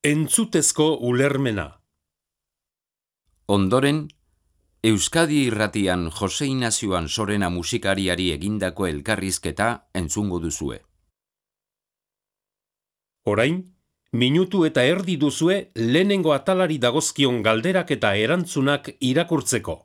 Entzutezko ulermena. Ondoren, Euskadi Irratian Jose Inazio Ansorena musikariari egindako elkarrizketa entzungo duzue. Orain, minutu eta erdi duzue lehenengo atalari dagozkion galderak eta erantzunak irakurtzeko.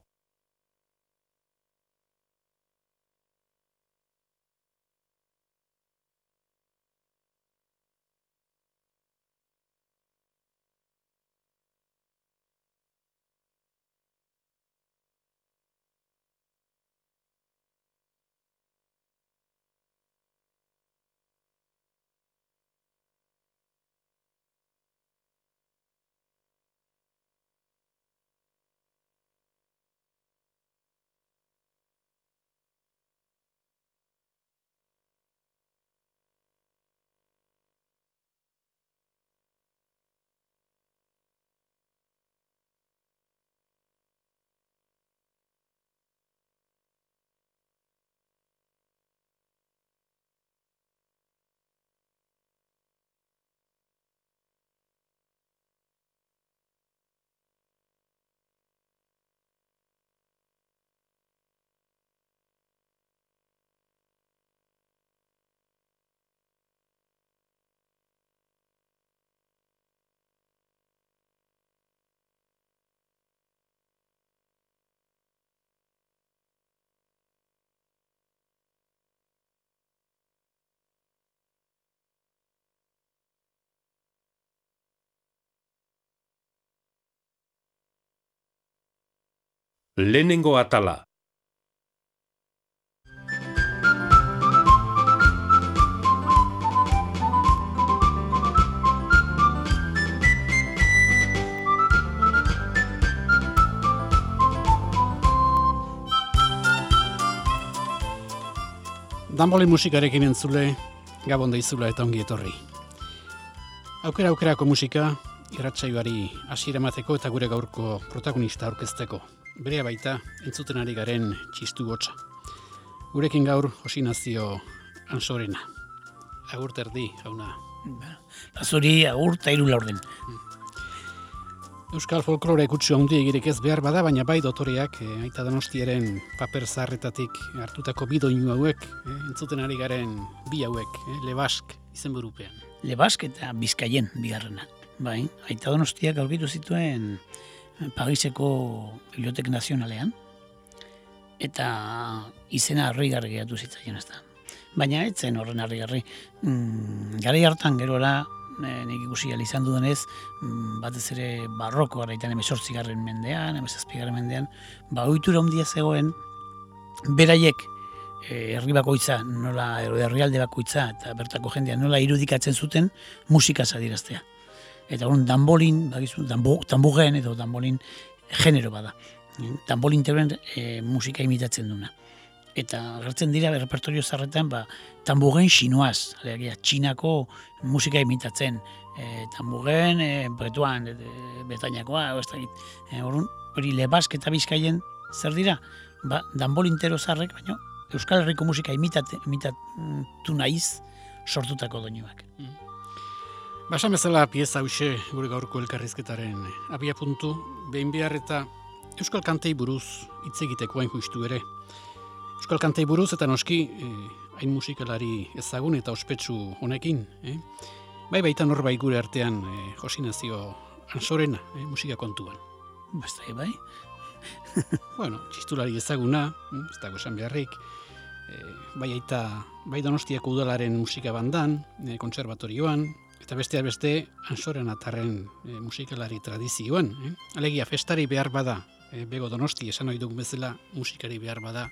Lehenengo atala. Danboli musikarekin entzule, gabon daizula eta ongi etorri. Aukerako musika, irratsaioari hasiera emateko eta gure gaurko protagonista aurkezteko. Berea baita, entzuten ari garen txistu hotsa. Gurekin gaur, Jose Inazio Ansorena. Agur terdi, jauna. Zuri agur eta 3 laurden. Euskal folklore kutsu handi egirik ez behar bada, baina bai dotoreak Aita Donostiaren paper zaharretatik hartutako bi doinu hauek, entzuten ari garen bi hauek, Lebask izenburupean. Lebask eta Bizkaien bigarrena. Bai, Aita Donostiak aurkitu zituen Pariseko Bibliotek Nazionalean, eta izena harrigarri geratu zitzaien ez da. Baina ez zen horren harrigarri. Garai hartan gerora, nik ikusi izan dudenez, batez ere barroko garaitan 18. mendean, 17. mendean, ohitura handia zegoen, beraiek herri bakoitza, nola herrialde bakoitza eta bertako jendea nola irudikatzen zuten musikaz adieraztea. Eta hori danbolin, tambugen edo danbolin genero bada. Danbolin teuren musika imitatzen duna. Eta gertzen dira repertorio zarretan tambugen xinoaz, alegia, txinako musika imitatzen. Tambugen, bretuan, betainakoa, hori Lebask eta Bizkaien zer dira? Danbolin tero zarrek, baina Euskal Herriko musika imitatu nahiz sortutako doinuak. Basan bezala pieza hause gure gaurko elkarrizketaren abia puntu, behin behar eta Euskal Kantei buruz hitz egiteko hain justu ere. Euskal Kantei buruz eta noski hain musikalari ezagun eta ospetsu honekin. Bai baita norbait gure artean Jose Inazio Ansorena musika kontuan. Bastai bai. Bueno, txistulari ezaguna, ez dago esan beharrik. Bai Donostiako udalaren musika bandan, kontserbatorioan, eta besteak beste Ansorena tarren musikalari tradizioan. Alegia, festari behar bada, bego Donosti, esan ohi dugun bezala, musikari behar bada,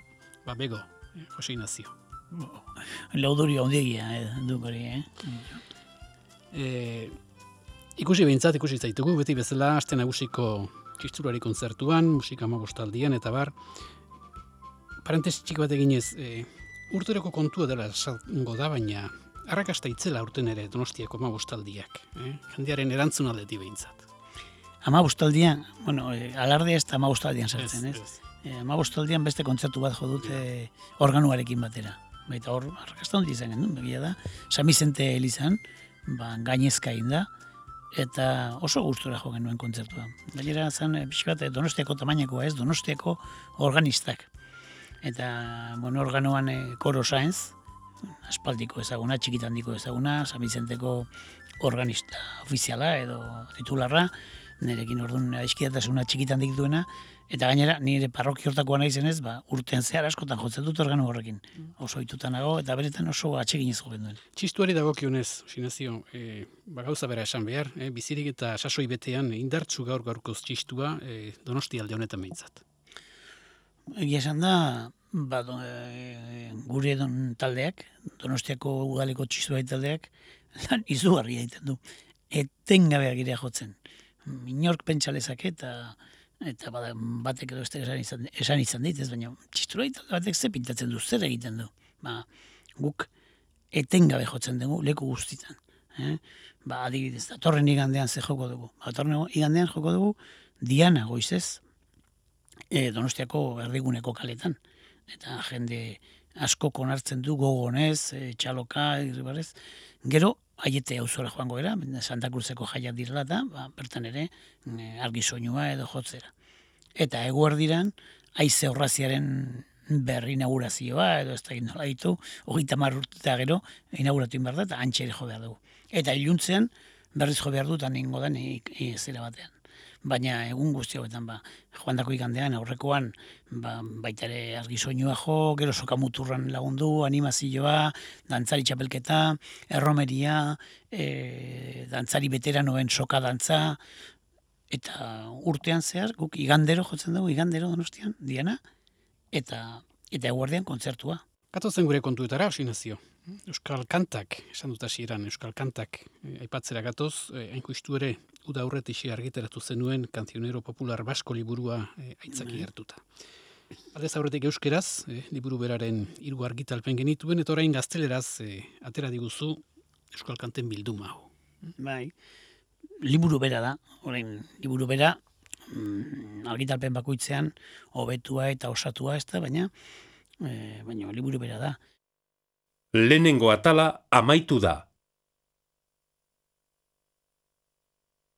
bego, Jose Inazio. Laudorio handigia duk hori, Ikusi zaitugu, beti bezala, aste nagusiko txisturari kontzertuan, musika 15 eta bar. Parentesi txik bat eginez, urteroko kontua dela esango da, baina arrakasta itzela urten ere Donostiako 15. Jendearen erantzun aldetik behintzat. 15, alardea ez da 15 sartzen, ez? 15 beste kontzertu bat jo dute organuarekin batera. Baita hor, arrakasta handi izan genuen, begia da. San Bizente elizan, gainezka egin da, eta oso gustura jo genuen kontzertua. Gainera zen pixkat Donostiako tamainakoa ez, Donostiako organistak. Eta organoan Koro Sáenz, aspaldiko ezaguna, txikitandiko ezaguna, San Vicenteko organista ofiziala edo titularra, nirekin orduan aizkidatasuna txikitandik duena, eta gainera nire parrokia hortakoa nahi zenez, urtean zehar askotan jotzen dut organo horrekin. Oso ohituta nago eta beretan oso atseginez jo duen. Txistuari dagokionez, Sinazio, gauza bera esan behar, bizirik eta sasoi betean indartsu gaurkoz txistua Donosti alde honetan behintzat. Egia esan da, gure taldeak, Donostiako udaleko txistua taldeak, lan izugarria egiten du. Etengabeak girea jotzen. Inork pentsa lezake eta batek edo esan izan dit, ez baina txistura talde batek ze pintatzen du, zer egiten du. Guk etengabe jotzen dugu leku guztitan. Adibidez, datorren igandean ze joko dugu. Datorren igandean joko dugu Diana goizez, Donostiako erdiguneko kaletan. Eta jende asko konartzen du gogonez, txaloka, irribarrez. Gero, aiete auzora joango era, Santa Cruzeko jaiak direla eta bertan ere argi soinua edo jotzera. Eta eguerdiran, haize horraziaren berri inaugurazioa edo ez da nola ditu, 30 urte gero inauguratu behar da eta antxe ere jo behar dugu. Eta iluntzean berriz jo behar dut aningo den zera batean. Baina egun guzti hauetan joandako igandean aurrekoan baita ere argi soinua jo, gero sokamuturran lagundu, animazioa, dantzari txapelketa, erromeria, dantzari veteranoen soka dantza, eta urtean zehar guk igandero jotzen dugu, igandero Donostian, Diana, eta eguerdian kontzertua. Gatozen gure kontuetara, Sinazio. Euskal Kantak, esan dut hasieran Euskal Kantak aipatzera gatoz, hainkustu ere uda aurretixe argitaratu zenuen Cancionero Popular Basko liburua aitzaki hartuta. Aldez aurretik euskeraz, liburu beraren 3 argitalpen genituen, eta orain gazteleraz atera diguzu Euskal Kanten bilduma hau. Bai, liburu bera da, orain liburu bera argitalpen bakoitzean hobetua eta osatua ez da, baina liburu bera da. Lehenengo atala amaitu da.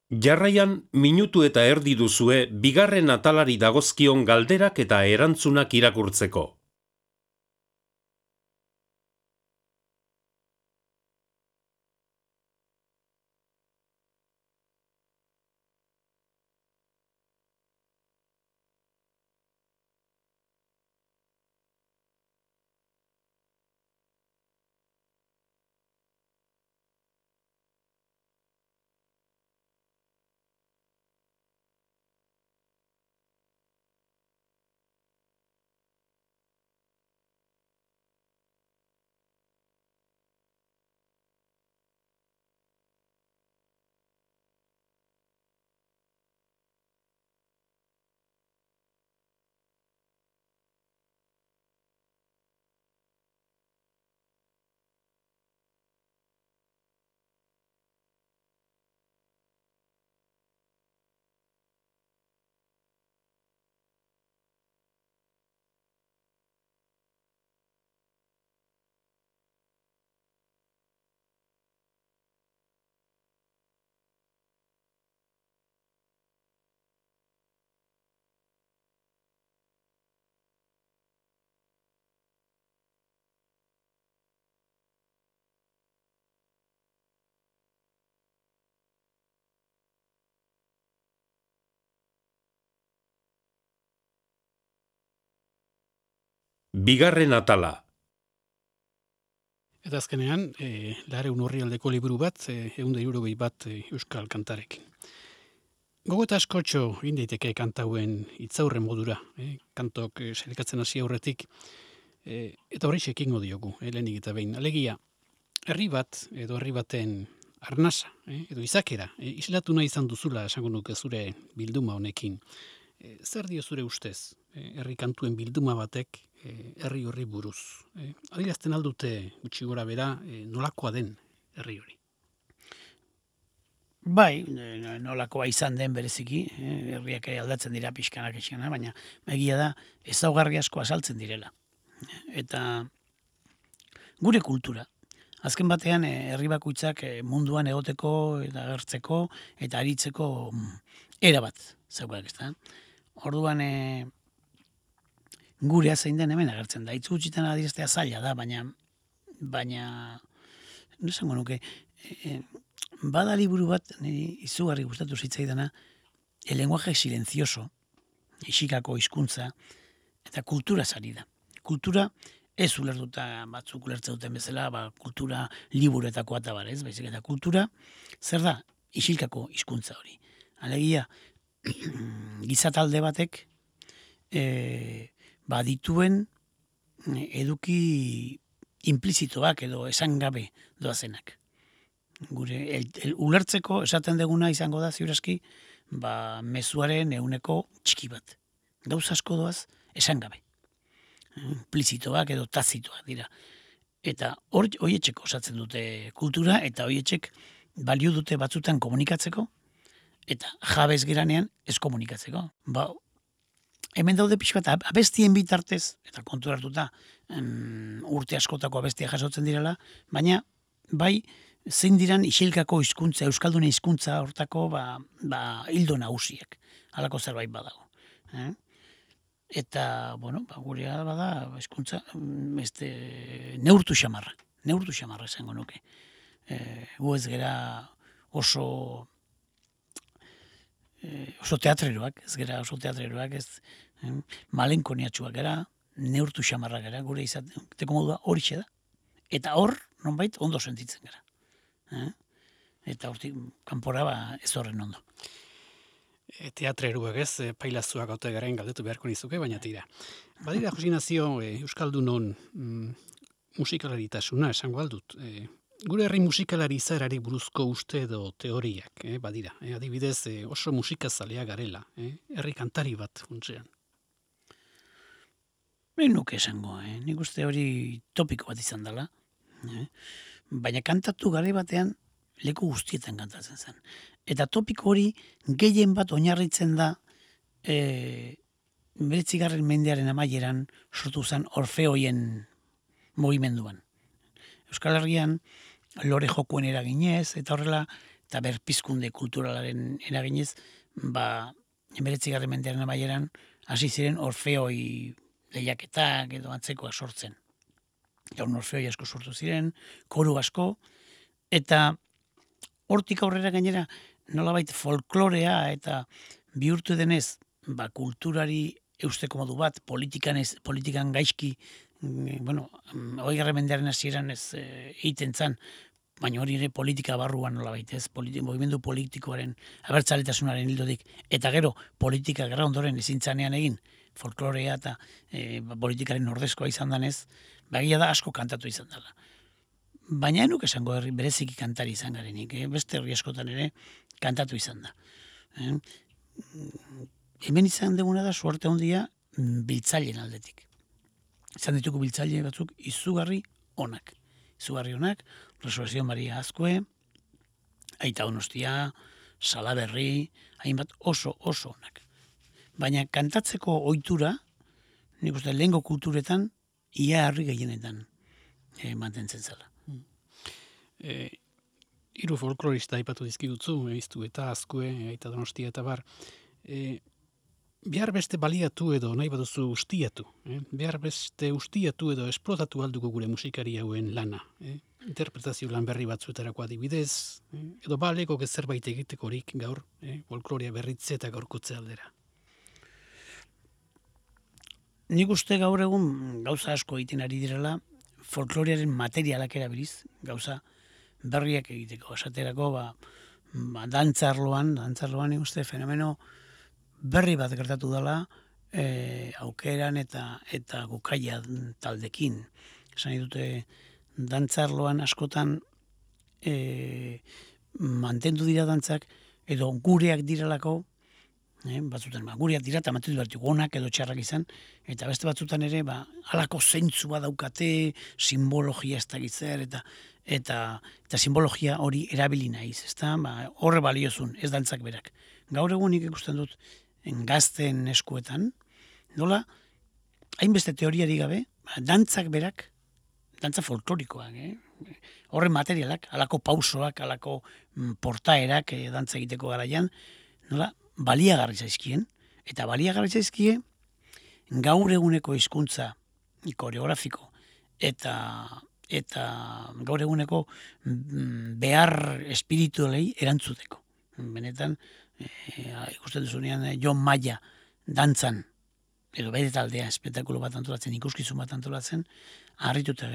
Jarraian minutu eta erdi duzue bigarren atalari dagozkion galderak eta erantzunak irakurtzeko. Bigarren atala. Eta azkenean, Lareun Orrialdeko liburu bat, 160 bat Euskal Kantarekin. Gogo eta askotxo egin daiteke kantauen hitzaurren modura, kantok selekatzen hasi aurretik, eta horri ekingo diogu, lehenik eta behin. Alegia, herri bat edo herri baten arnasa, edo izakera, islatu nahi izan duzula esango nuke zure bilduma honekin. Zer dio zure ustez, herri kantuen bilduma batek herri horri buruz? Adierazten aldute gutxi gora bera nolakoa den herri hori? Bai, nolakoa izan den bereziki, herriak aldatzen dira pixkanak, baina egia da ezaugarri asko azaltzen direla. Eta gure kultura, Azken batean, herri bakoitzak munduan egoteko eta agertzeko eta aritzeko era bat zeukak, ezta? Orduan, gurea zein den hemen agertzen da. Hitz gutxitan adieraztea zaila da, baina no esango nuke, bada liburu bat, niri izugarri gustatu zitzaidana, El lenguaje silencioso, Isikako hizkuntza, eta kultura ari da. Kultura ez ulertuta batzuk ulertzen duten bezala, kultura liburuetako atabar, ez? Baizik eta kultura, zer da? Isilkako hizkuntza hori. Alegia, gizatalde batek dituen eduki implizitoak edo esan gabe doazenak. Gure ulertzeko esaten deguna izango da ziurazki, mezuaren ehuneko txiki bat. Gauza asko doaz esan gabe. Implizitoak edo tazitoak dira. Eta horietxek osatzen dute kultura, eta horietxek balio dute batzutan komunikatzeko, eta jabez geranean ez komunikatzeko. Hemen daude pixka bat abestien bitartez, eta kontu hartuta urte askotako abestia jasotzen direla, baina bai zein diran isilkako hizkuntza, euskaldune hizkuntza hortako hildo nagusiak. Halako zerbait badago. Eta, gurea bada hizkuntza neurtu xamarra. Neurtu xamarra esango nuke. Gu ez gera oso teatreroak, ez malenkoniatxuak gara, neurtu xamarra gara, gure izateko modua horixe da. Eta hor, nonbait, ondo sentitzen gara. Eta hortik, kanpora ez horren ondo. Teatreruak ez, pailazuak haute garen galdetu beharko nizuke, baina tira. Badira, Jose Ignacio, Euskaldunon musikalaritasuna esango aldut. Gure herri musikalari izaerari buruzko uste edo teoriak, badira. Adibidez, oso musikazalea garela, herri kantari bat funtsean. Nuke esango, nik uste hori topiko bat izan dela. Baina kantatu gare batean leku guztietan kantatzen zen. Eta topiko hori gehien bat oinarritzen da 19. mendearen amaieran sortu zen Orfeoien mugimenduan. Euskal Herrian lore jokuen eraginez, eta horrela, eta berpizkunde kulturalaren eraginez, 19. mendearen amaieran hasi ziren Orfeoi lehiaketak edo antzekoak sortzen. Gaur Orfeoi asko sortu ziren, koru asko, eta hortik aurrera gainera nolabait folklorea eta bihurtu denez, kulturari eusteko modu bat, politikan gaizki, 20. mendearen hasieran ez egiten zan, baina hori ere politika barruan nolabait, ez, mugimendu politikoaren abertzaletasunaren hildotik, eta gero politika gerra ondoren ezin zanean egin, folklorea eta politikaren ordezkoa izan danez, bagia da asko kantatu izan dela. Baina enuk esango bereziki kantari izan garenik, beste herri askotan ere kantatu izan da. Hemen izan deguna da suerte handia biltzaileen aldetik. Izan dituko biltzaile batzuk izugarri onak. Resurrección Maria Azkue, Aita Donostia, Salaberri, hainbat oso onak. Baina kantatzeko ohitura, nik uste lehengo kulturetan, ia herri gehienetan mantentzen zela. Hiru folklorista aipatu dizkigutzu, Iztu eta Azkue, Aita Donostia eta bar. Behar beste baliatu edo nahi baduzu ustiatu. Behar beste ustiatu edo esplotatu alduko gure musikari hauen lana. Interpretazio lan berri batzuetarako adibidez, edo baleko zerbait egitekorik gaur, folklorea berritze eta gaurkotze aldera. Nik uste gaur egun gauza asko egiten ari direla, folklorearen materialak erabiliz, gauza berriak egiteko. Esaterako, dantzarloan nik uste fenomeno berri bat gertatu dela, aukeran eta gukaia taldekin. Esan dute, dantzarloan askotan mantendu dira dantzak, edo gureak direlako, batzutan gureak dira eta mantendu behar onak edo txarrak izan, eta beste batzutan ere halako zeintzua daukate, simbologia ez dakitzer, eta simbologia hori erabili naiz, horre baliozun, ez dantzak berak. Gaur egun nik ikusten dut gazten eskuetan, nola, hainbeste teoriari gabe, dantzak berak, dantza folklorikoak, horren materialak, alako pausoak, alako portaerak dantza egiteko garaian, nola, baliagarri zaizkien, eta baliagarri zaizkie gaur eguneko hizkuntza koreografiko eta gaur eguneko behar espiritualei erantzuteko. Benetan, ikusten duzunean Jon Maia dantzan, edo bere taldea espektakulo bat antolatzen, ikuskizun bat antolatzen, harrituta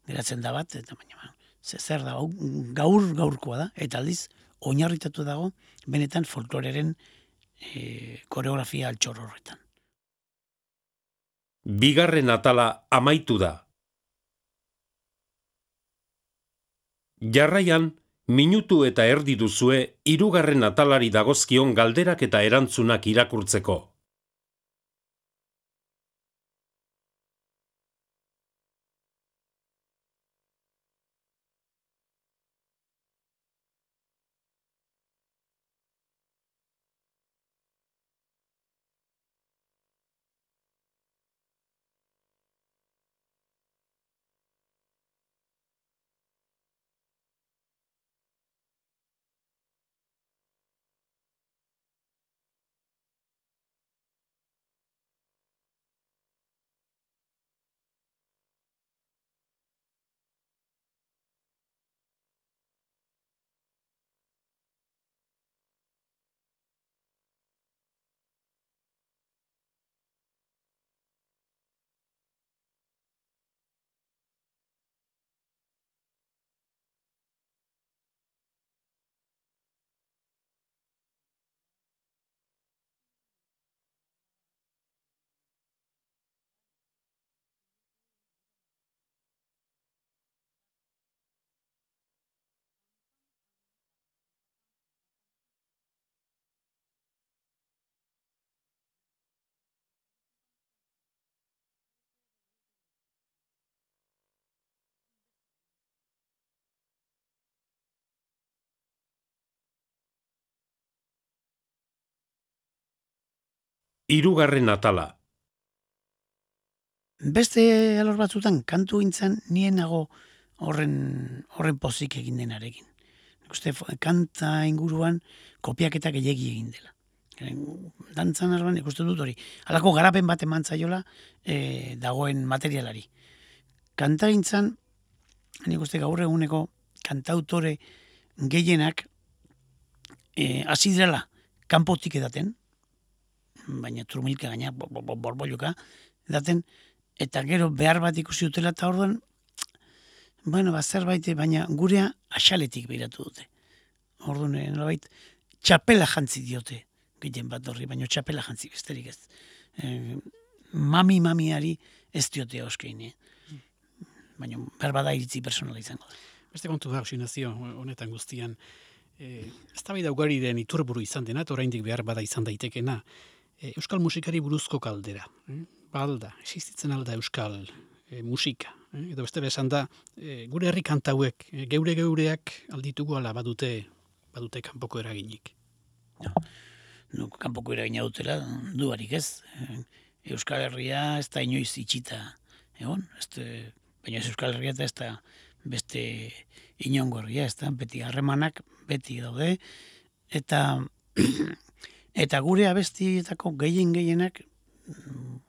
geratzen da bat, eta baina zer da, gaurkoa da, eta aldiz, oinarritatu dago, benetan folkloreren koreografia altxor horretan. Bigarren atala amaitu da. Jarraian, minutu eta erdi duzue hirugarren atalari dagozkion galderak eta erantzunak irakurtzeko. Hirugarren atala. Beste alor batzutan kantu gintzan nien nago horren pozik egin denarekin. Uste kanta inguruan kopiaketa gehiegi egin dela. Dantzan arban ikusten dut hori. Halako garapen bat eman zaiola dagoen materialari. Kanta gintzan, nik uste gaur eguneko kantautore gehienak hasi direla kanpotik edaten, baina trumilka gaina, borbolluka edaten, eta gero behar bat ikusi dutela, eta orduan, zerbait, baina gurea axaletik behiratu dute. Orduan, nolabait, txapela jantzi diote, gehien bat horri, baina txapela jantzi besterik ez. Mamiari ez diote oskein, baina berbada iritzi personala izango da. Beste kontu da, Osinazio, honetan guztian, eztabaida ugari den iturburu izan dena, eta oraindik behar bada izan daitekena, euskal musikari buruzko kaldera. Balda, existitzen alda euskal musika. Edo bestela esan da, gure herri kantauek, geureak alditugu ala badute kanpoko eraginik. No, kanpoko eragina dutela, duarik ez. Euskal Herria ez da inoiz itxita egon, baina ez Euskal Herria eta ez da beste inongo herria, ez da, beti harremanak, beti daude, eta gure abestietako gehienak,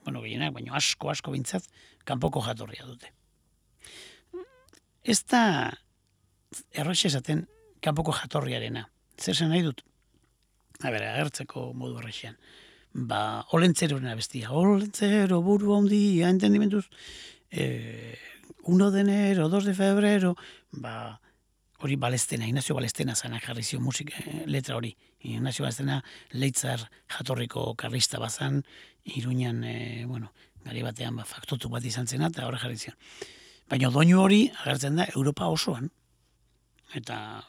baina asko bintzat, kanpoko jatorria dute. Ez da erroxe esaten kanpoko jatorriarena. Zer zen nahi dut? Agertzeko modu errexean. Olentzeroren abestia. Olentzero, buru handia, entendimentuz, 1 de enero, 2 de febrero, hori Balestena, Ignacio Balestena zanak jarri zio letra hori. Ignacio Balestena Leitzar jatorriko karlista bazan, Iruñan, gari batean faktotu bat izan zena, eta horre jarri zion. Baina doinu hori agertzen da Europa osoan, eta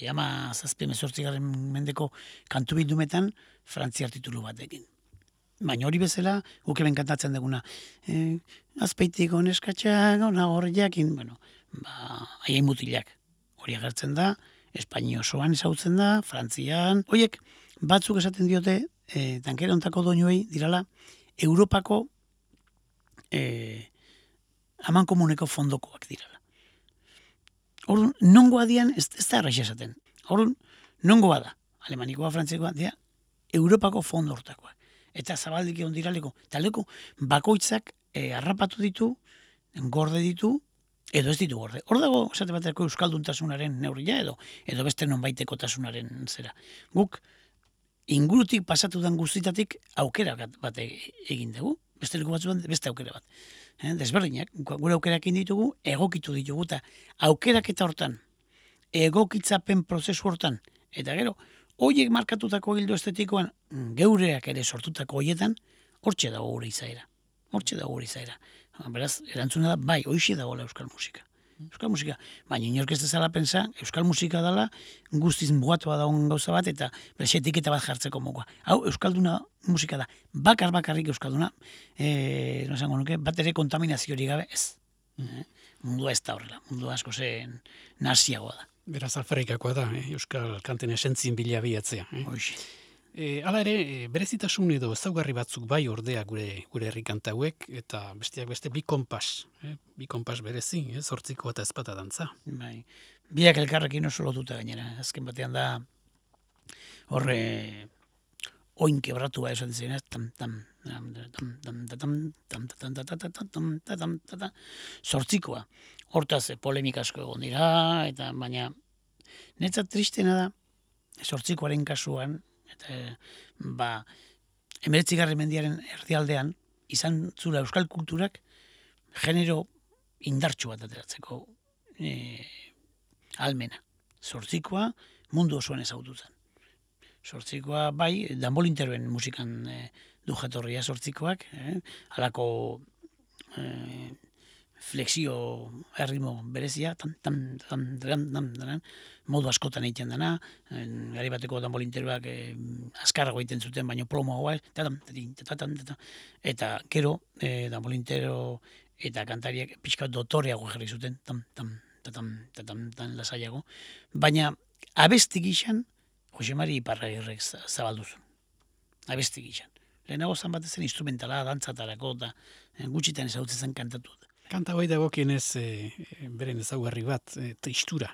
jama 18. mendeko kantu bildumetan frantziar titulu batekin. Baina hori bezala, guk hemen kantatzen duguna, azpeitiko neskatxak, hor jakin, haien mutilak. Hori agertzen da, Espaini osoan ezautzen da, Frantzian. Horiek batzuk esaten diote, tankera ontako doinuei dirala, Europako amankomuneko fondokoak dirala. Orduan, nongoa dian, ez da erraixa esaten. Orduan, nongoa da, alemanikoa, frantzekoa, dia, Europako fondo hortakoa. Eta zabaldik egon diraleko. Eta leko, bakoitzak harrapatu ditu, gorde ditu, edo ez ditu gorde. Hor dago, esate baterako euskalduntasunaren neurria edo beste nonbaiteko tasunaren zera. Guk, ingurutik pasatu den guztitatik aukera bat egin dugu. Besteleko batzuan beste aukera bat. Desberdinak, gure aukerak ditugu, egokitu ditugu, eta aukeraketa hortan, egokitzapen prozesu hortan, eta gero, horiek markatutako gildo estetikoan, geureak ere sortutako horietan, hortxe dago gure izaera. Beraz, erantzuna da, bai, hoixe dagoela euskal musika. Euskal musika, baina inork ez dezala pensa, euskal musika dela guztiz mugatua dagoen gauza bat, eta bere etiketa bat jartzeko mokoa. Hau, euskalduna musika da, bakarrik euskalduna, no esango nuke, bat ere kontaminaziorik gabe ez. Mundua ez da horrela, mundua asko zen naziagoa da. Beraz, alferrikakoa da, euskal kanten esentzien bila bilatzea. Hoixe. Hala ere, berezitasun edo ezaugarri batzuk bai ordea gure herri kanta hauek, eta besteak beste bi konpas berezi, zortziko eta ezpata dantza. Bai. Biak elkarrekin oso lotuta gainera. Azken batean da horre oin kebratua esaten zen, zortzikoa. Hortaz polemika asko egon dira, eta baina netzat tristena da zortzikoaren kasuan, eta 19. mendiaren erdialdean izan zula euskal kulturak genero indartsu bat ateratzeko almena. Zortzikoa mundu osoan ezagutu zen. Zortzikoa bai, danbolinteroen musikan du jatorria zortzikoak, halako flexio erritmo berezia, modu askotan egiten dena, gari bateko danbolinteroak azkarrago egiten zuten, baino plomoagoa, eta gero danbolintero eta kantariak pixka dotoreago jarri zuten, lasaiago, baina abesti gixan Jose Mari Iparragirrek zabalduzun. Abesti gixan. Lehenago zan bat ezen instrumentala, dantzatarako, eta gutxitan ezagutzen zen kantatu. Kanta hoi dagokienez beren ezaugarri bat, tristura.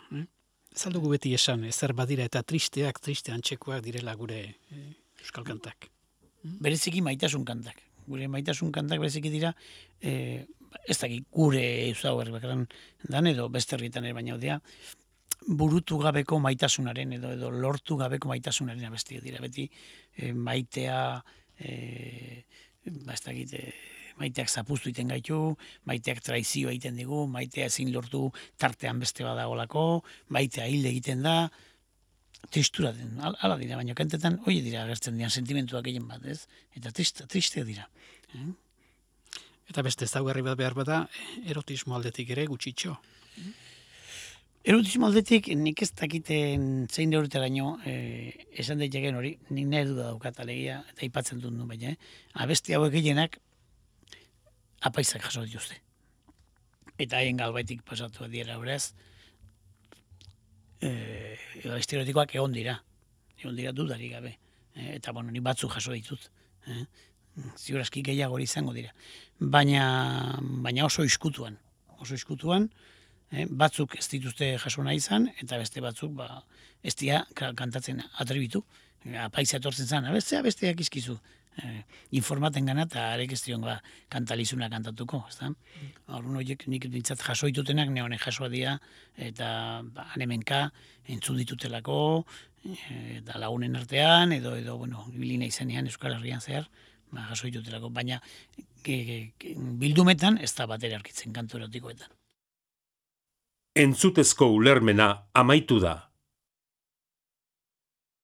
Ez aldugu beti esan, ezer badira eta triste antzekoak direla gure euskal kantak. Bereziki maitasun kantak. Gure maitasun kantak bereziki dira, ez dakik gure ezaugarri bakaran dan edo beste herrietan ere baina odea, burutu gabeko maitasunaren edo lortu gabeko maitasunaren abestiak dira. Beti maitea, ez dakit, maiteak zapuztu egiten gaitu, maiteak traizio egiten digu, maitea ezin lortu tartean beste badagolako, maitea hil egiten da, tristura den, ala dira, baina kantetan hori dira agertzen dian sentimentuak egin bat, ez? Eta triste dira. Eta beste ezaugarri bat behar bada, erotismo aldetik ere gutxitxo. Erotismo aldetik nik ez dakiten zein neuritaraino esan daiteken hori, nik nahi duda daukat alegia, eta ipatzen dut nu baina, abesti hauek gehienak apaizak jaso dituzte. Eta haien galbaitik pasatu dira beraz, abesti erotikoak egon dira dudarik gabe. Eta bueno, ni batzuk jaso ditut. Ziur aski gehiago izango dira. Baina oso iskutuan. Batzuk ez dituzte jaso nahi izan, eta beste batzuk ez dira kantatzen atrebitu. Apaiza etortzen zen, besteak izkizu. Informaten gana eta arek ez dion kantalizuna kantatuko. Horren horiek nik dintzat jaso ditutenak, neonek jasoa dira, eta hanemenka entzun ditutelako, eta lagunen artean, edo bilina izanean Euskal Herrian zehar, jaso ditutelako. Baina bildumetan ez da batera aurkitzen kantu erotikoetan. Entzutezko ulermena amaitu da.